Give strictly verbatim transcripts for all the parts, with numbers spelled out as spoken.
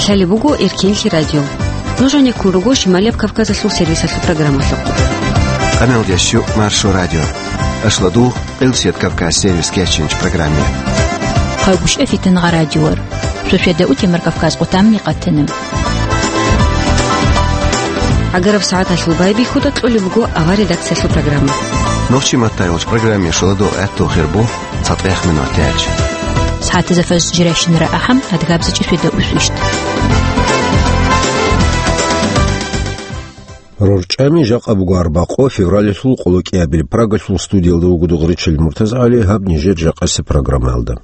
Лъалеб буго Эркенлъи радио. Нуж гьанеккун руго Шималияб Кавказалъул сервисалъул программалъухъ. Къамел ящу Маршо радио. Ашладу Къилсият Кавказ сервис кечинч программе. Хъайгушев Фитангъа радиор. Шошеда утемар Кавказ къутамни къатана. Агараб сагӀаталъул байбихьуда кьолеб буго авар редакциялъул программа. Нохчи маттайолч программе шаладу гӀатту хирбу. ЦатӀех минутач. СагӀатазда фаз жирайщинара ахӀам, адгабзачӀи феда усвищт. РорчӀами жакъа буго арбакъо февралалъул къолокӀиабил. Прагалъул студиялда вуго Дугъричил МуртазагӀали, гьаб нижер жакъасе программаялда.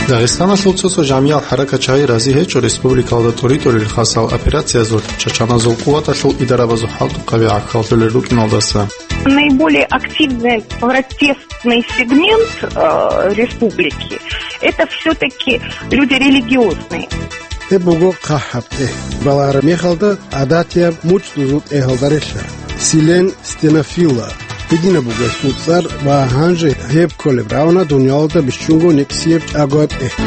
Дагъистаналъул цо-цо жамиял хӀаракатчагӀи рази гьечӀо республикалда тӀуритӀулел хасал операциязулъ чачаназул къуваталъул идарабазул хӀалтӀухъаби гӀахьаллъулел рукӀиналдаса. Наиболее активный протестный сегмент э, республики — это все-таки люди религиозные. Гьеб буго хъахӀаб тӀегь. Балагьараб мехалда гӀадатияб муцӀ-дузул тӀегьалда релълъа. Силен Стенофилла гьединаб буго гьесул цӀар ва гьанже гьеб кколеб равна дуниялалда бищунго никсияб чӀаго тӀегь.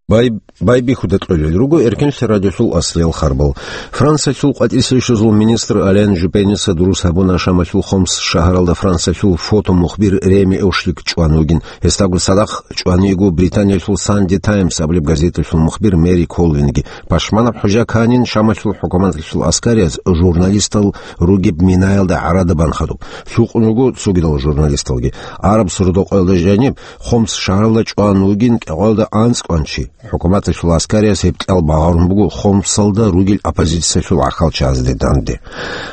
Бай-, байбихьуда кьолел руго Эркенлъи радиолъул аслиял харбал. Франциялъул къватӀирсейшузул министр Ален Жупеница дурус гьабуна Шамалъул Хомс шагьаралда Франциялъул фотомухбир Реми Ошлик чӀван вугин. Гьесдаго цадахъ чӀван йиго Британиялъул Санди Таймс абулеб газеталъул мухбир Мэри Колвинги. Пашманаб хӀужа кканин Шамалъул хӀукуматалъул аскарияз журналистал ругеб минаялда гӀарада бан хадуб. Лъукъун руго цогидал журналисталги. Араб сордо-къоялда жаниб Хомс шагьаралда чӀван вугин кӀикъоялда анцӀкӀван чи. ХӀукуматалъул аскарияс гьеб кьал багъарун буго Хомсалда ругел оппозициялъул гӀахьалчагӀазде данде.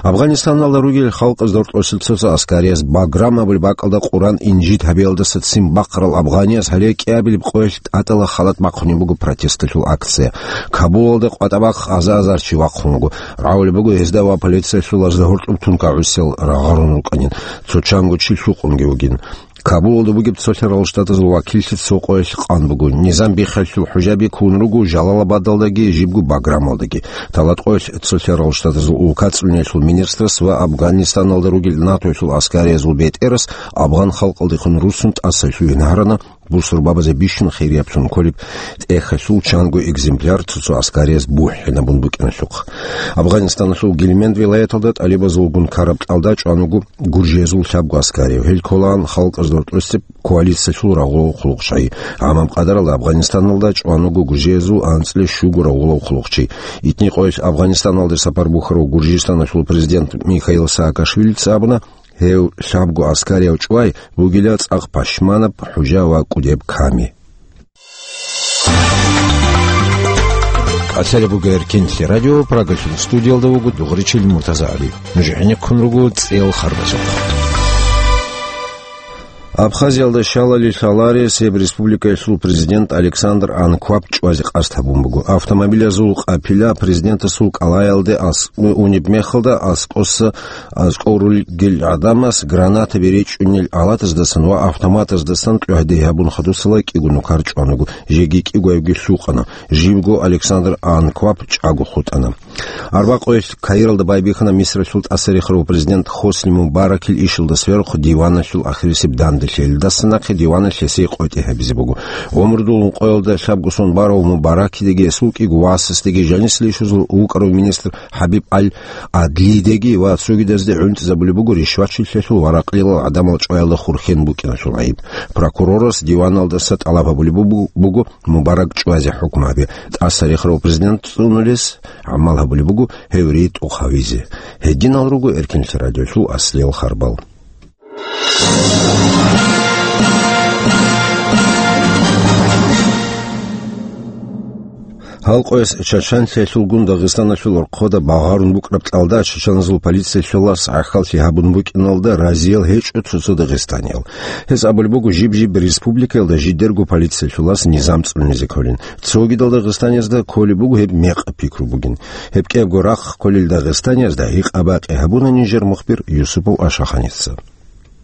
Афганистаналда ругел халкъазда гьоркьоса цо-цо аскарияс Баграм абулеб бакӀалда Къуран инжит гьабиялдаса ццин бахъарал афганияс гьале кӀиабилеб къоялъ тӀатӀала халат бахъунеб буго протесталъул акция. Кабулалда къватӀа-бахъ аза-азар чи вахъун вуго. Рагьулеб буго гьезда ва полициялъул азда гьоркьоб тункагӀусиял рагъарун рукӀанин. Цо чанго чи лъукъунги вугин. Кабулалда бугеб цолъарал штатазул вакиллъи цо къоялъ къан буго. Низам биххалъул хӀужаби ккун руго Жалалабадалдаги жибго Баграмалдаги. Талат къоялъ цолъарал штатазул улкацӀцӀуниялъул министрас ва Афганистаналда ругел НАТОялъул аскариязул бетӀерас афган халкъалдехун руссун тӀасалъугьин гьарана, бусурбабазе бищун хирияб цун кколеб тӀехьалъул чанго экземпляр цо-цо аскарияз бухӀинабун букӀиналъухъ. Афганистаналъул Гильменд вилаяталда тӀалибазулгун ккараб кьалда чӀван вуго гуржиязул лъабго аскарияв. Гьел кколаан халкъазда гьоркьоса коалициялъул рагъулал хъулухъчагӀи. Гьанаб къадаралда Афганистаналда чӀван вуго гуржиязул анцӀила щуго рагъулав хъулухъчи. Итни къоялъ Афганистаналде сапар бухьарав Гуржистаналъул президент Михаил Саакашвилица абуна, гьев лъабго аскарияв чӀвай бугила цӀакъ пашманаб хӀужа ва кӀудеб ками. КӀалъалеб буго Эркенлъи радио, Прагалъул студиялда вуго Дугъричил МуртазагӀали. Нуж гӀенеккун руго цӀел харбазухъ. Абхазиялда щалали лъаларес гьеб республикаялъул президент Александр Анкваб чӀвазе къасд гьабун буго. Автомобилазул къапила президентасул кӀалаялде ас-, унеб мехалда аскӀоса, аскӀов ругел гӀадамас гранатаби речӀчӀунел алатаздасан ва автоматаздасан кьвагьде гьабун хадусала кӀиго нукар чӀван вуго, жеги кӀиго гьевги лъукъана. Жибго Александр Анкваб чӀаго хутӀана. Арбакъоялъ Каиралда байбихьана Мисралъул тӀасарихарав президент Хосни Мубаракил ишалда сверухъ диваналъул ахирисеб данделъи. Гьелдаса нахъе диваналъ гьесие къотӀи гьабизе буго. ГӀумрудул ункъоялда лъабго сон барав Мубаракидеги гьесул кӀиго васасдеги жанисел ишазул вукӀарав министр ХӀабиб Аль-Адлидеги ва цогидазде гӀунтӀизабулеб буго ришвачилъиялъул ва ракълилал гӀадамал чӀваялда хурхен букӀиналъул гӀайиб. Прокурорас диваналдаса тӀалаб гьабулеб буго, буго Мубарак чӀвазе хӀукму гьабе. ТӀасарихарав президент цӀунулес гӀамал гьабулеб буго гьев ритӀухъ гьавизе. Гьединал руго Эркенлъи радиолъул аслиял харбал. Гьалкъояс чачанлъиялъулгун Дагъистаналъул орхъода багъарун букӀараб кьалда чачаназул полициялъулас гӀахьаллъи гьабун букӀиналда разиял гьечӀо цо-цо дагъистаниял. Гьез абулеб буго, жиб-жиб республикаялда жидерго полициялъулас низам цӀунизе кколин. Цогидал дагъистаниязда кколеб буго гьеб мекъаб пикру бугин. Гьеб кӀиябго рахъ кколел дагъистаниязда гьикъа-бакъи гьабуна нижер мухбир Юсупов Ашаханица.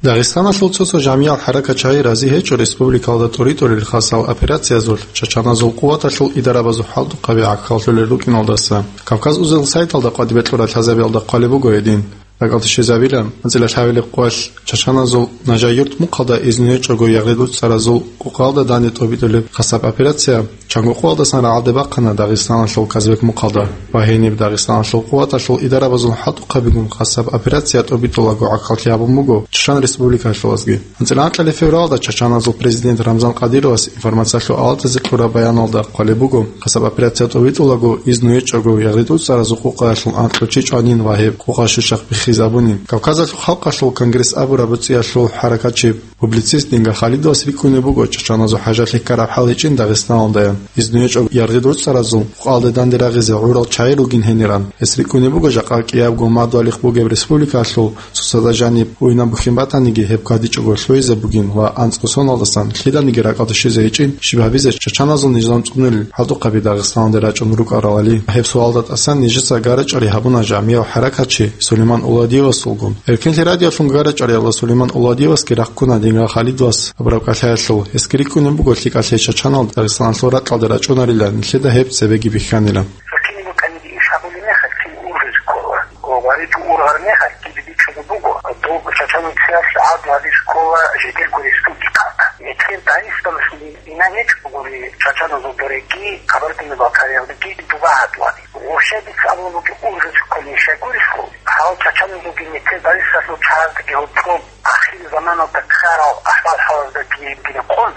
Дагъистаналъул цо-цо жамиял хӀаракатчагӀи рази гьечӀо республикалда тӀуритӀулел хасал операциязулъ чачаназул къуваталъул идарабазул хӀалтӀухъаби гӀахьаллъулел рукӀиналдаса. Кавказ Узел сайталда къватӀибе кьурал лъазабиялда хъвалеб буго гьедин. РакӀалде щвезабила анцӀила лъабилеб къоялъ чачаназул Нажай-Юрт мухъалда изну гьечӀого ягъи дуцӀцӀаразул къукъалда данде тӀобитӀулеб хасаб операция. Чанго къоялдасан рагӀалде бахъана Дагъистаналъул Казбек мухъалда ва гьениб Дагъистаналъул къуваталъул идарабазул хӀалтӀухъабигун хасаб операция тӀобитӀулаго гӀахьаллъи гьабун буго Чечен Республикалъулазги. АнцӀила анкьалъ февралда чачаназул президент Рамзан Кадыровас информациялъул авлатазе кьураб баяналда хъвалеб буго, хасаб операция тӀобитӀулаго изну гьечӀого ягъи дуцӀцӀаразул къукъаялъул анкьго чи чӀванин ва гьеб къукъа щущахъ биххизабунин. Кавказалъул халкъалъул конгресс абураб буцӀиялъул хӀаракатчи, публицист Динга Халидовас рикӀкӀунеб буго чачаназул хӀажалъи ккараб хӀал гьечӀин Дагъистаналдаян. Изну гьечӀого ягъи дуцӀцӀаразул къукъалда данде рагъизе гӀурал чагӀи ругин гьениран. Гьес рикӀкӀунеб буго жакъа кӀиябго мадугьалихъ бугеб республикалъул сусазда жаниб уйнабухьин батаниги гьеб кадичӀого лъугьизе бугин ва анцӀго соналдасан лъиданиги ракӀалде щвезе гьечӀин щиб гьабизе чачаназул низам цӀунул хӀалтӀухъаби Дагъистаналде рачӀун рукӀаралали. Гьеб суалда тӀасан нижеца гара-чӀвари гьабуна жамияв хӀаракатчи Сулейман Уладиевасулгун. Эркинлъи радиолъун гара-чӀвариялда Сулейман Уладиевасги рахъуна Динга Халидовас абураб кӀалъаялъул. Гьесги рикӀкӀунеб буго лъикӀалъе чачанал Дагъистаналъул ракьалда рачӀунарилан нилъеда гьеб цебеги бихьанила. Цо кинаб букӀаниги иш гьабулеб мехалъ кин ургъизе ккола. Ва гьаричӀо ургъараб мехалъ кибе бичӀчӀулеб буго, доб чачанцияс гӀадлу гьабизе ккола жидерго республикалда. Нилъер Дагъистаналъул ина гьечӀогури чачаназул дорегги, Кабардино-Балкариялдеги доба гӀадлу гьаби. Вообще дица абулеб буго ургъизе кколин щайгурелъул, гьал чачаназулги нилъер Дагъистаналъул чагӀаздаги гьоркьоб ахирзаманалда ккарал ахӀвал-хӀалаздаги рекъон,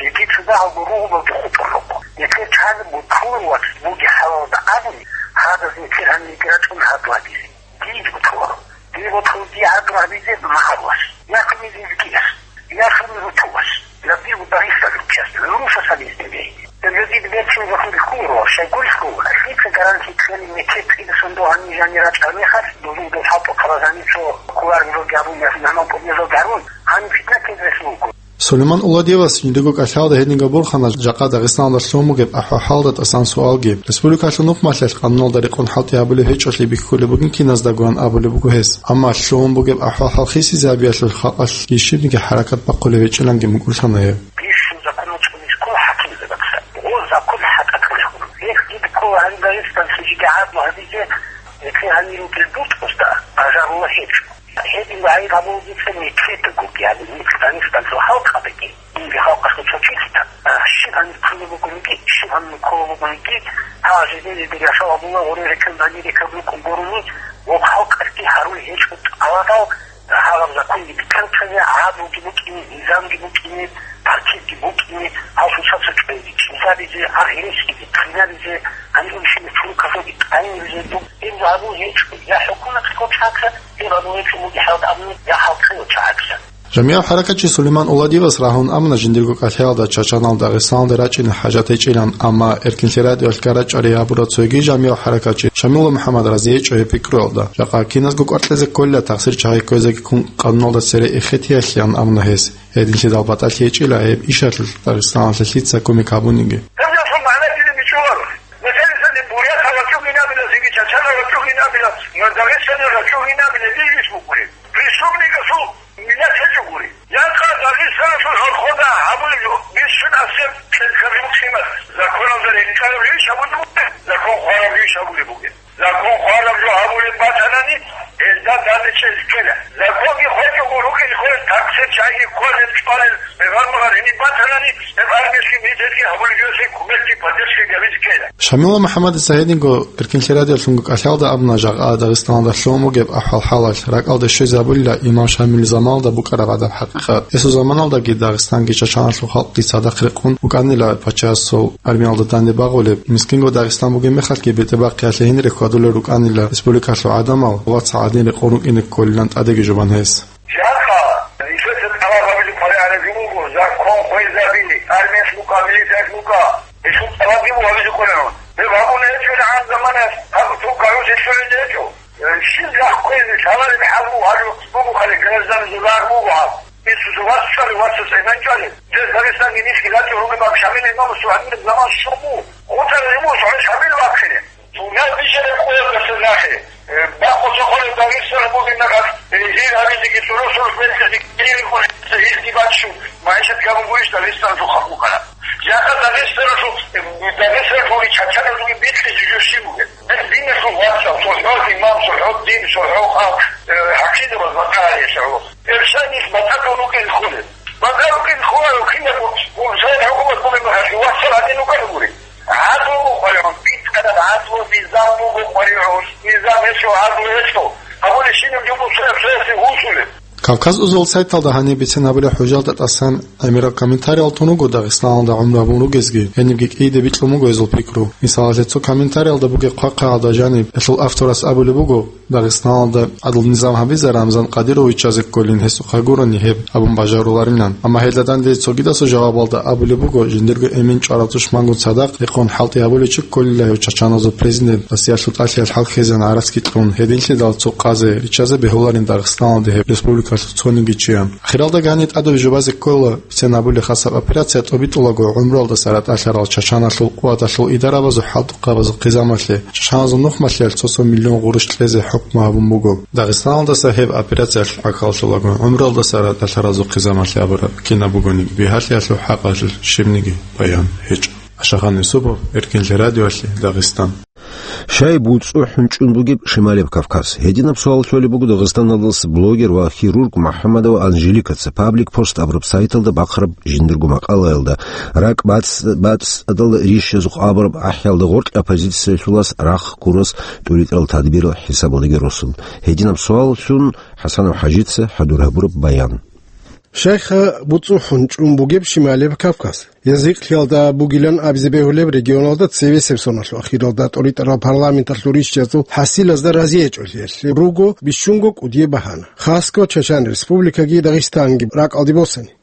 жеги цо дагьабго ругьуназда хутӀун руго. Нилъер чагӀазда бутӀрулев вац бугеб хӀалалда абуни, гьадаз нилъер гьанирги рачӀуна гӀадлу гьабизе. Дие бутӀруларо. Дие бутӀрулев дие гӀадлу гьабизе магьарулас, я хӀумил изгияс, я хӀумил рутулас, я дие Дагъистаналъул чияс, нуша сабиз дебе. Жидер берцин захӀмулъ кколаро, щайгурелъул, лъица гарантия кьелин нилъер цӀидасан дов гьанир жанир рачӀараб мехалъ, дозул дов хӀалтӀухъабаз гьанир цо кколареб жоги гьабун, ясин гьанав тӀубазалги гьарун, гьаниб питна тезе рехун вуго. Сулейман Уладиевас жиндирго кӀалъалда гьединго борхана жакъа Дагъистаналда лъугьун бугеб ахӀвал-хӀалалда тӀасан суалги. Республикалъул нухмалъалъ къануналда рекъон хӀалтӀи гьабулеб гьечӀолъи бихьулеб бугин киназдагоян абулеб буго гьес. Амма лъугьун бугеб ахӀвал-хӀал хисизабиялъул халкъалъги щибниги хӀаракат бахъулеб гьечӀиланги мукӀурлъана гьев. Бищун законал цӀунизе ккола хӀакимзабаца. Гъо закон хӀатӀа кколеб. Гьеб дида ккола гьаниб Дагъистаналъе жеги гӀадлу гьабизе, гьесие гьанир ругел бутӀрузда бажарула гьечӀо. Гьедин гӀайиб гьабулеб дица нилъедаго, яни нилъ Дагъистаналъул халкъалдаги, инги халкъалъул цо чилъида, а, щиб гьанир кколеб бугониги, щиб гьанир кколеб бугониги, гьал жидеде яшав гьабула, гъоре рекан гьанир рекан рукӀун гурони, ва халкъалъги гьарулеб гьечӀо тӀалабал, гьагъаб законги битӀараб чагӀи, гӀадлуги букӀине, низамги букӀине, партиги букӀине, гьал цоцазда чӀвазе, чӀезабизе, гьагъ гьересиги, хъинабизе, гьаниб щибаб чорокалъулги тӀагӀинабизе, доб гьеб гьабун гьечӀо, я хӀукуматалъул чагӀаца, гьеб гьабун гьечӀо бугеб хӀалда абуни, я халкъалъул чагӀаца. Жамияв хӀаракатчи Сулейман Уладиевас рагьун амуна жиндирго кӀалъалда чачанал Дагъистаналде рачӀине хӀажат гьечӀилан, амма Эркинлъи радиоялъ гара-чӀвари гьабурав цоги жамияв хӀаракатчи Шамилов МухӀаммад рази гьечӀо гьеб пикруялда. Жакъа киназго кӀваркьезе кколила тахсир чагӀи кквезеги ккун къануналда цере эхетиялъеян абуна гьес. Гьединлъидал батӀалъи гьечӀила гьеб ишалъулъ Дагъистаналъе лъица кумек гьабуниги. Гьеб жо магӀна дида бичӀчӀуларо. Мисалисаниб, бурятал рачӀугинабила, цинги чачанал рачӀугинабила, Дагъистанал рачӀугинабила, дир иш букӀулеб. Преступникасул миллат гьечӀо гури. Якъа Дагъистаналъул гьоркьода гьабулеб бищун асеб кьелкаби мухъимат законалда рекъараб иш гьабулеб бугеб, закон хъвараб иш гьабулеб бугеб. Закон хъвараб жо гьабулеб батанани, гьелда данде чӀезе ккела. Законги хвечӀого рукӀине кколел, таксир чагӀиги кколел, чӀвалел, гӀемер-магӀар гьениб батанани, гьеб армиялъги милицаялъги гьабулеб жо гьесие кумекги поддержкаги гьабизе ккела. Шамилов МухӀаммадица гьединго Эркинлъи радиоялъунго кӀалъалда абуна жакъа Дагъистаналда лъугьун бугеб ахӀвал-хӀалалъ. РакӀалде щвезабулила имам Шамил заманалда букӀараб гӀадаб хӀакъикъат. Гьесул заманалдаги Дагъистанги чачаналъул халкъги цадахъ рекъон букӀанила пачаясул армиялда данде багъулеб, мискинго Дагъистан бугеб мехалъги бетӀербахъиялъе гьенире хьвадулел рукӀанила республикалъул гӀадамал, вацал гӀадин рекъон рукӀине кколилан тӀадеги жубан гьес. Жакъа нилъеца тӀалаб гьабизе кколеб гӀаразе буго, закон хвезабили, армиялъ букӀа, милицаялъ букӀа. Гьелъул тӀалабги буго гьабизе кколеб. Гьеб гьабуна гьечӀо гӀан заманаялъ, гьаб цо кагъуз гьечӀолел гьечӀо. Щиб рахъизе лъалареб хӀал буго гьаб, буго хъали гражданизул рагӀ буго гьаб. Инсузул вац чӀвалев, вацас гӀемер чӀвалев. Дир Дагъистанги нилъги рачӀун ругеб Шамилил имамасул гьаниб заман щун буго. ХутӀарал имамасул гьаниб Шамил вахъине. Сунал бижараб къоялдаса нахъе, э, бакъуса хъвараб Дагъистан бугеб мехалъ, э, гьел гьабизеги, цӀуро-цӀурус мехалъги гьел рикӀкӀун, гьелги баччун, магӀишат гьабун гурищ Дагъистаналъул халкъ букӀараб? Жакъа Дагъистаналъул, э, Дагъистаналъул чачаназулги бикьизе жо щиб бугеб? Гьел диналъул вацал, цохӀо имам, цохӀо дин, цохӀо халкъ, э, Кидабаз батӀа гьарищ гӀоло. Гьеб шайнилъ батӀа тун вукӀин хъулеб. БатӀа рукӀин хъуларев кинабго гьеб шайилъ хӀукумат гьабулеб мехалъ вассал гьадин вукӀарабури. ГӀадлу букӀваригӀун, битӀараб гӀадлу, низам буго къваригӀун. Низам гьечӀо, гӀадлу гьечӀо. Гьабулеб щиб жо буго цояс-цоясе гьусулеб. Кавказ узал сайталда гьаниб бицин гьабулеб хӀужалда тӀасан гӀемерал комментариял тун вуго Дагъистаналда гӀумру гьабун ругезги, гьенибги кӀийиде бикьун буго гьезул пикру. Мисалалъе, цо комментариялда бугеб хъвахъаялда жаниб, гьелъул авторас абулеб буго, Дагъистаналда гӀадлу низам гьабизе Рамзан Кадыровичазе кколин, гьесухъа гурони гьеб абун бажаруларилан. Амма гьелда данде цогидасул жавабалда абулеб буго, жиндирго эмен чӀвараб тушмангун цадахъ рехъун хӀалтӀи гьабулев чи кколила гьев чачаназул президент, Россиялъул тӀалъиялъ хӀал ккезегӀан гӀарацги кьун, гьединлъидал цо къазе риччазе бегьуларин Дагъистаналда гьеб республикалъул цониги чиян. Ахиралда гьаниб тӀадаб жубазе ккола, бицен гьабулеб хасаб операция тӀобитӀулаго гӀумруялдаса ратӀалъарал чачаналъул къуваталъул идарабазул хӀалтӀухъабазул хъизамалъе, чачаназул нухмалъиялъ цо-цо миллион гъурущ кьезе хӀукму гьабун буго. Дагъистаналдаса гьеб операциялъ гӀахьаллъулаго гӀумруялдаса ратӀалъаразул хъизамалъе абураб кинаб бугони, бигьалъиялъул хӀакъалъулъ щибниги баян гьечӀо. Ашагъан Юсупов, Эркинлъи радиоялъе, Дагъистан. Щай буцӀцӀу хӀунчӀун бугеб Шималеб Кавказ? Гьединаб суал лъолеб буго Дагъистаналдаса блогер ва хирург МухӀамадова Анжеликаца Паблик Пост абураб сайталда бахъараб жиндирго макъалаялда. РакӀ бацӀ-, бацӀцӀадал рищазухъ абураб ахӀиялда гъоркь оппозициялъулас рахъ ккурас тӀуритӀарал тадбирал хӀисабалдаги росун. Гьединаб суаллъун ХӀасанов ХӀажица хӀадур гьабураб баян. Щайха буцӀцӀу хӀунчӀун бугеб Шималеб Кавказ? Язихълъиялда бугилан абизе бегьулеб регионалда цевесеб соналъул ахиралда тӀуритӀарал парламенталъул рищазул хӀасилазда разиячӀолъиялъе руго бищунго кӀудияб багьана. Хасго Чачан Республикаги Дагъистанги ракӀалде босани.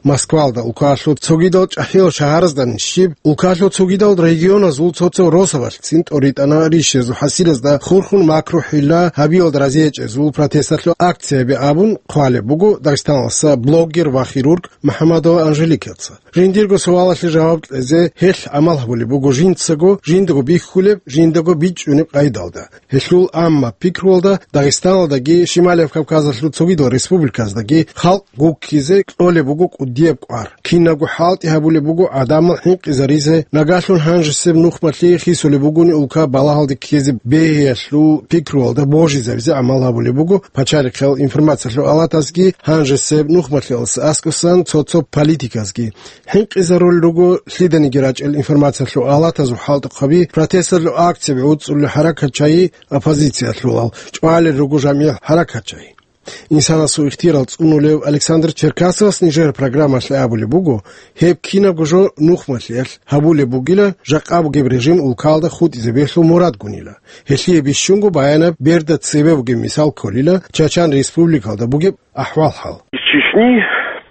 Москвалда, улкалъул цогидал чӀахӀиял шагьаразда нижер, улкалъул цогидал регионазул цо-цо росабалъцин тӀуритӀана рищазул хӀасилазда хурхун макру-хӀилла гьабиялда разиячӀезул протесталъул акцияби абун хъвалеб буго Дагъистаналдаса блогер ва хирург МухӀамадова Анжеликаца. Жиндирго суалалъе жаваб кьезе гьелъ гӀамал гьабулеб буго жинцаго жиндаго бихьулеб, жиндаго бичӀчӀунеб къайдалда. Гьелъул амма пикруялда Дагъистаналдаги Шималияб Кавказалъул цогидал республиказдаги халкъ гуккизе кьолеб буго кӀудияб кӀвар. Кинабго хӀалтӀи гьабулеб буго гӀадамал хӀинкъизаризе, нагагьлъун гьанжесеб нухмалъи хисулеб бугони улка балагьалде ккезе бегьиялъул пикруялда божизабизе гӀамал гьабулеб буго пачалихъал информациялъул алатазги, гьанжесеб нухмалъиялдаса аскӀосан цо-цо политиказги. ХӀинкъизарулел руго лъиданиги рачӀел информациялъул алатазул хӀалтӀухъаби, протесталъул акцияби гӀуцӀулел хӀаракатчагьи, оппозициялъулал чӀвалел руго жамигӀ хӀаракатчагьи. Инсанасул ихтияр цӀунулев Александр Черкасовас нижер программалъе абулеб буго, гьеб кинабго жо нухмалъиялъ гьабулеб бугила, жакъа бугеб режим улкалда хутӀизе бегьлъу мурадгунила. Гьелъие бищунго баянаб берда цебе бугеб мисал кколила Чачан Республикалда бугеб ахӀвал-хӀал. Из Чечни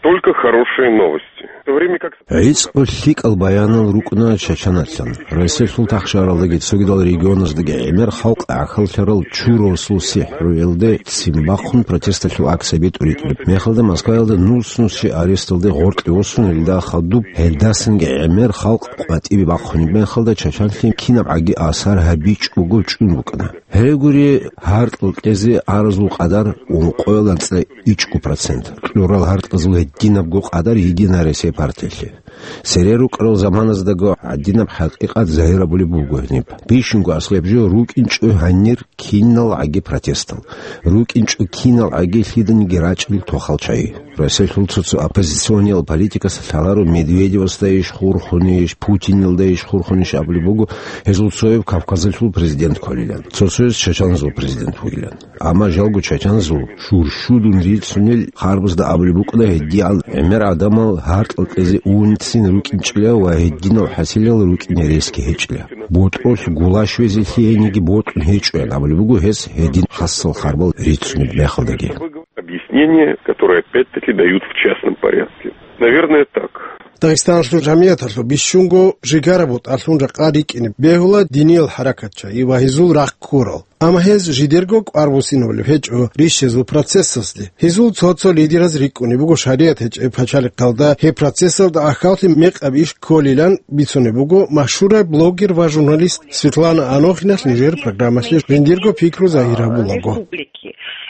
только хорошие новости. В то время как ГӀицӀго лъикӀал баянал рукӀуна Чачаналъан. Россиялъул тахшаралдаги цогидал регионаздаги гӀемер халкъ гӀахьаллъарал чурасул сихӀруялде ццин бахъун протесталъул акцияби тӀуритӀулеб мехалда Москваялда нус-нусчи аресталде гъоркье восун, гьелда хадуб гьелдасанги гӀемер халкъ къватӀибе бахъунеб мехалда Чачанлъи кинабгӀаги асар гьабичӀого чӀун букӀана. Гьеле гури, гьаркьал кьезе аразул къадар ункъоялда анцӀила ичӀго процент, кьурал гьаркьазул гьединабго къадар Единая Россия партиялъе. Цере рукӀарал заманаздаго гьадинаб хӀакъикъат загьир гьабулеб буго гьениб. Бищунго аслаб жо рукӀинчӀо гьанир киналгӀаги протестал, рукӀинчӀо киналгӀаги лъиданиги рачӀил тохал чагӀи. Россиялъул цо-цо оппозициониял политикас лъаларо Медведевасдайищ хурхунищ, Путинилдайищ хурхунищ абулеб буго, гьезул цояб Кавказалъул президент кколилан, цо-цояз чачаназул президент вугилан. Амма жалго чачаназул шуршудун рицунел харбазда абулеб букӀана гьедигӀан гӀемер гӀадамал гьаркьал кьезе унцин рукӀинчӀила ва гьединал хӀасилал рукӀине ресги гьечӀила. БутӀрулъ гулащвезе лъиениги бокьун гьечӀоян абулеб буго гьес гьедин хасал харбал рицунеб мехалдаги. Объяснения, которые опять-таки дают в частном порядке. Наверное, так. Дагъистаналъул жамигӀаталъул бищунго жигара бутӀалъун ракъа рикӀкӀине бегьула диниял хӀаракатчагьи ва гьезул рахъ ккурал. Амма гьез жидерго кӀвар буссинабулеб гьечӀо рищезул процессалъе. Гьезул цо-цо лидераз рикӀкӀунеб буго шаригӀат гьечӀеб пачалихъалда гьеб процессалда ахьаллъи мекъаб иш кколилан бицунеб буго машгьураб блогер ва журналист Светлана Анохиналъ нижер программалъе жиндирго пикру загьир гьабулаго.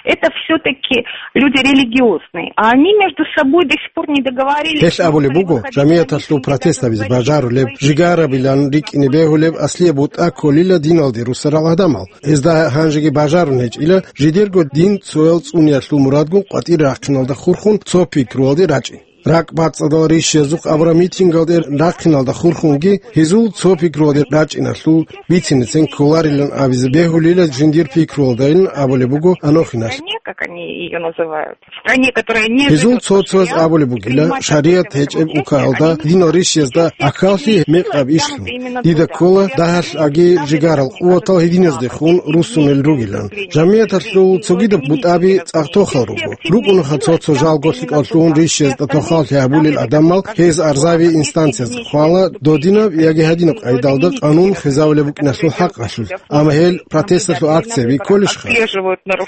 Это все-таки люди религиозные, а они между собой до сих пор не договорились. Гьелъ абулеб буго, жамияталъул протест гьабизе бажарулеб, жигарабилан рикӀкӀине бегьулеб аслияб бутӀа кколила диналде русарал гӀадамал. Гьезда гьанжеги бажарун гьечӀила жидерго дин цоял цӀуниялъул мурадгун къватӀир рахъиналда хурхун цо пикруялде рачӀи. РакӀбацӀцӀадал рищиязухъ абураб митингалде рахъиналда хурхунги гьезул цо пикруялде рачӀиналъул бицинецин кколарилан абизе бегьулила жиндир пикруялдайилан абулеб буго Анохиналъ. Стране, как они её называют, стране, которая не Гьезул живёт по цо-цояз шариату, абулеб бугила, принимать шариат определённые гьечӀеб решения, укагьалда, они не динал рищиязда ахьаллъи мекъаб ишлъун. Дида ккола дагьалъ аги жигарал къуватал гьединаздехун руссунел ругилан. Жамияталъул цогидаб бутӀаби цӀакъ тохал руго. РукӀунха цо-цо жалго лъикӀаллъун рищиязда тохаллъи гьабулел гӀадамал гьез арзаби инстанциязда хъвала додинаб яги гьадинаб къайдалда къанун хвезавулеб букӀиналъул хӀакъалъулъ. Амма гьел протесталъул акцияби кколищха?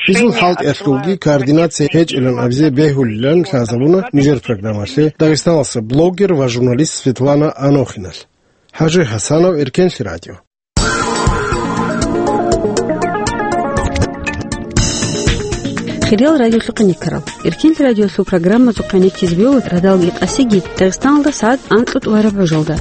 Гьезул хӀалтӀиялъулги координация гьечӀилан абизе бегьулилан лъазабуна нижер программалъе Дагъистаналъа блогер ва журналист Светлана Анохиналъ. ХӀажи ХӀасанов, Эркенлъи радио. Хириял радиолъухъ гӀенеккарал. Эркенлъи радиолъул программазухъ гӀенеккизе бегьула радалги къасиги Дагъистаналда сагӀат анкьго тӀураб гӀужалда.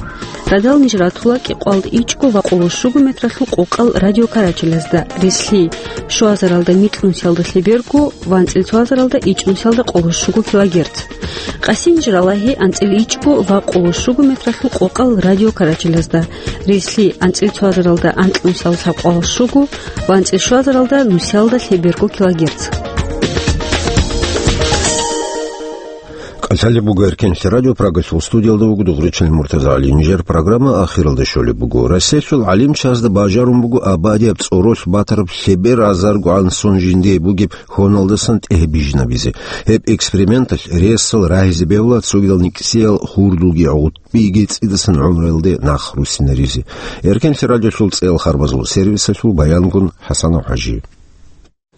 Радал ниж ратула кӀикъоялда ичӀго ва къоло щуго метралъул къокъал радиокарачелазда, релълъи, щуазаралда микьнусиялда лъеберго ва анцӀила цоазаралда ичӀнусиялда къоло щуго килогерц. Къасин ниж ралагьи анцӀила ичӀго ва къоло щуго метралъул къокъал радиокарачелазда, релълъи анцӀила цоазаралда анкьнусиялда лъабкъоялда щуго ва анцӀила щуазаралда нусиялда лъеберго килогерц. КӀалъалеб буго Эркенлъи радио, Прагалъул студиялда вуго Дугъричил МуртазагӀали. Нижер программа ахиралде щолеб буго. Россиялъул гӀалимчазда бажарун буго абадияб цӀоролъ батараб лъебер азаргогӀан сон жиндие бугеб хоналдасан тӀегье бижинабизе. Гьеб эксперименталъ ресал рагьизе бегьула цогидал никсиял хурдулги гӀутӀбиги цӀидасан гӀумруялде нах руссинаризе. Эркенлъи радиолъул цӀеял харбазул сервисалъул баянгун ХӀасанов ХӀажи.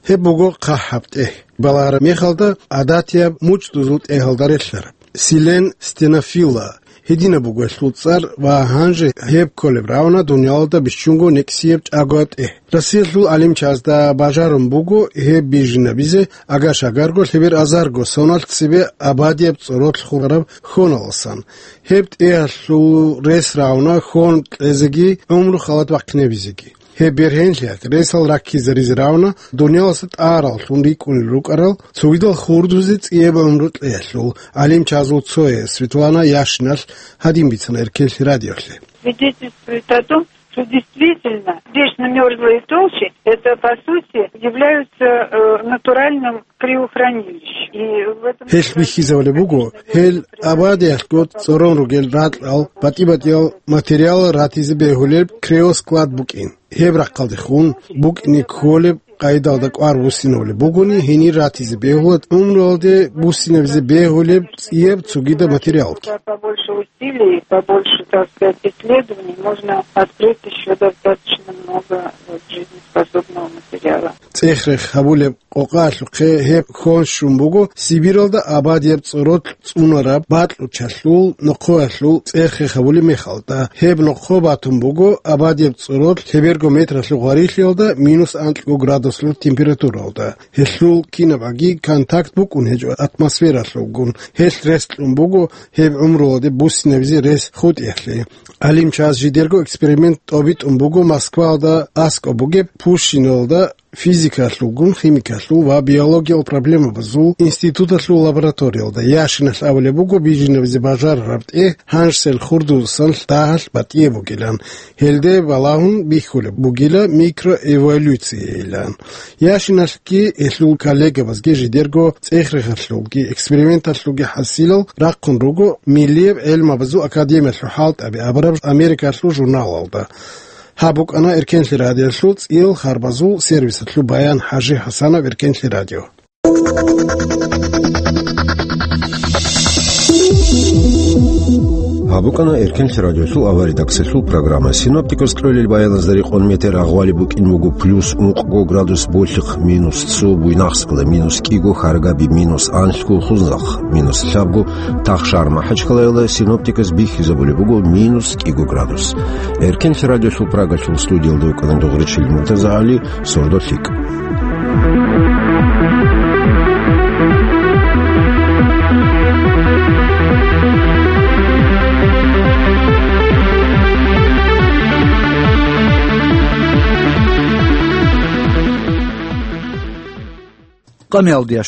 Гьеб буго хъахӀаб тӀегь. Балагьараб мехалда гӀадатияб мучӀдузул тӀегьалда релълъараб. Силен стенофилла гьединаб буго гьелъул цӀар ва гьанже гьеб кколеб равна дуниялалда бищунго никсияб чӀагояб тӀегь. Россиялъул гӀалимчазда бажарун буго гьеб бижинабизе агаш-агарго лъебер азарго соналъ цебе абадияб цӀоролъ хураб хоналасан. Гьеб тӀегьалъул рес равна хон кьезеги гӀумру халат бахъинабизеги. Гьеб бергьенлъиялъ ресал раккизаризе равна дуниялалъа тӀагӀараллъун рикӀкӀунел рукӀарал цогидал хурдузе цӀияб гӀумру кьеялъул гӀалимчазул цояс Светлана Яшиналъ гьадин бицана Эркенлъи радиолъе. Свидетельствует о том, что действительно вечно мёрзлые толщи, это, по сути, являются, э, натуральным криохранилищем. И в этом Гьелъ бихьизабулеб буго, гьел абадиялъго цӀорон ругел ракьал, батӀи-батӀиял материал ратизе бегьулеб криосклад букӀин. Гьеб рахъалдехун букӀине кколеб къайдалда кӀвар буссинабулеб бугони, гьенир ратизе бегьула гӀумруялде буссинабизе бегьулеб цӀияб цогидаб материалги. Побольше усилий, побольше, так сказать, исследований, можно открыть ещё достаточно много, вот, жизнеспособного материала. ЦӀех-рех гьабулеб къокъаялъухъе гьеб хьон щун буго Сибиралда абадияб цӀоролъ цӀунараб бакьулчалъул нохъоялъул цӀех-рех гьабулеб мехалда. Гьеб нохъо батун буго абадияб цӀоролъ лъеберго метралъул гъварилъиялда минус анкьго градуслъул температуралда. Гьелъул кинабгӀаги контакт букӀун гьечӀо атмосфералъулгун. Гьелъ рес кьун буго гьеб гӀумруялде буссинабизе рес хутӀиялъе. ГӀалимчаз жидерго эксперимент тӀобитӀун буго Москваялда аскӀоб бугеб Пущиналда физикалъулгун, химикалъул ва биологиял проблемабазул институталъул лабораториялда. Яшиналъ абулеб буго бижинабизе бажарараб тӀегь гьанжсел хурдузасан дагьалъ батӀияб бугилан. Гьелде балагьун бихьулеб бугила микроэволюциялъ. Яшиналъги гьелъул коллегабазги жидерго цӀех-рехалъулги эксперименталъулги хӀасилал рахъун руго Миллияб гӀелмабазул академиялъул хӀалтӀаби абураб Америкалъул журналалда. Гьаб букӀана Эркенлъи радиолъул цӀиял харбазул сервисалъул баян. ХӀажи ХӀасанов, Эркенлъи радио. Гьаб букӀана Эркенлъи радиолъул аваридаксалъул программа. Синоптикас кьолел баяназда рекъон метер агъвали букӀин буго плюс ункъго градус Болъихъ, минус цо Буйнакскалда, минус кӀиго Харгаби, минус анлъго Хунзахъ, минус лъабго Тахшар МахӀачкъалаялда. Синоптикас бихьизабулеб буго минус кӀиго градус. Эркенлъи радиолъул Прагалъул студиялда вукӀана Дугъричил МуртазагӀали, сордо лъикӀ. къамиялдеян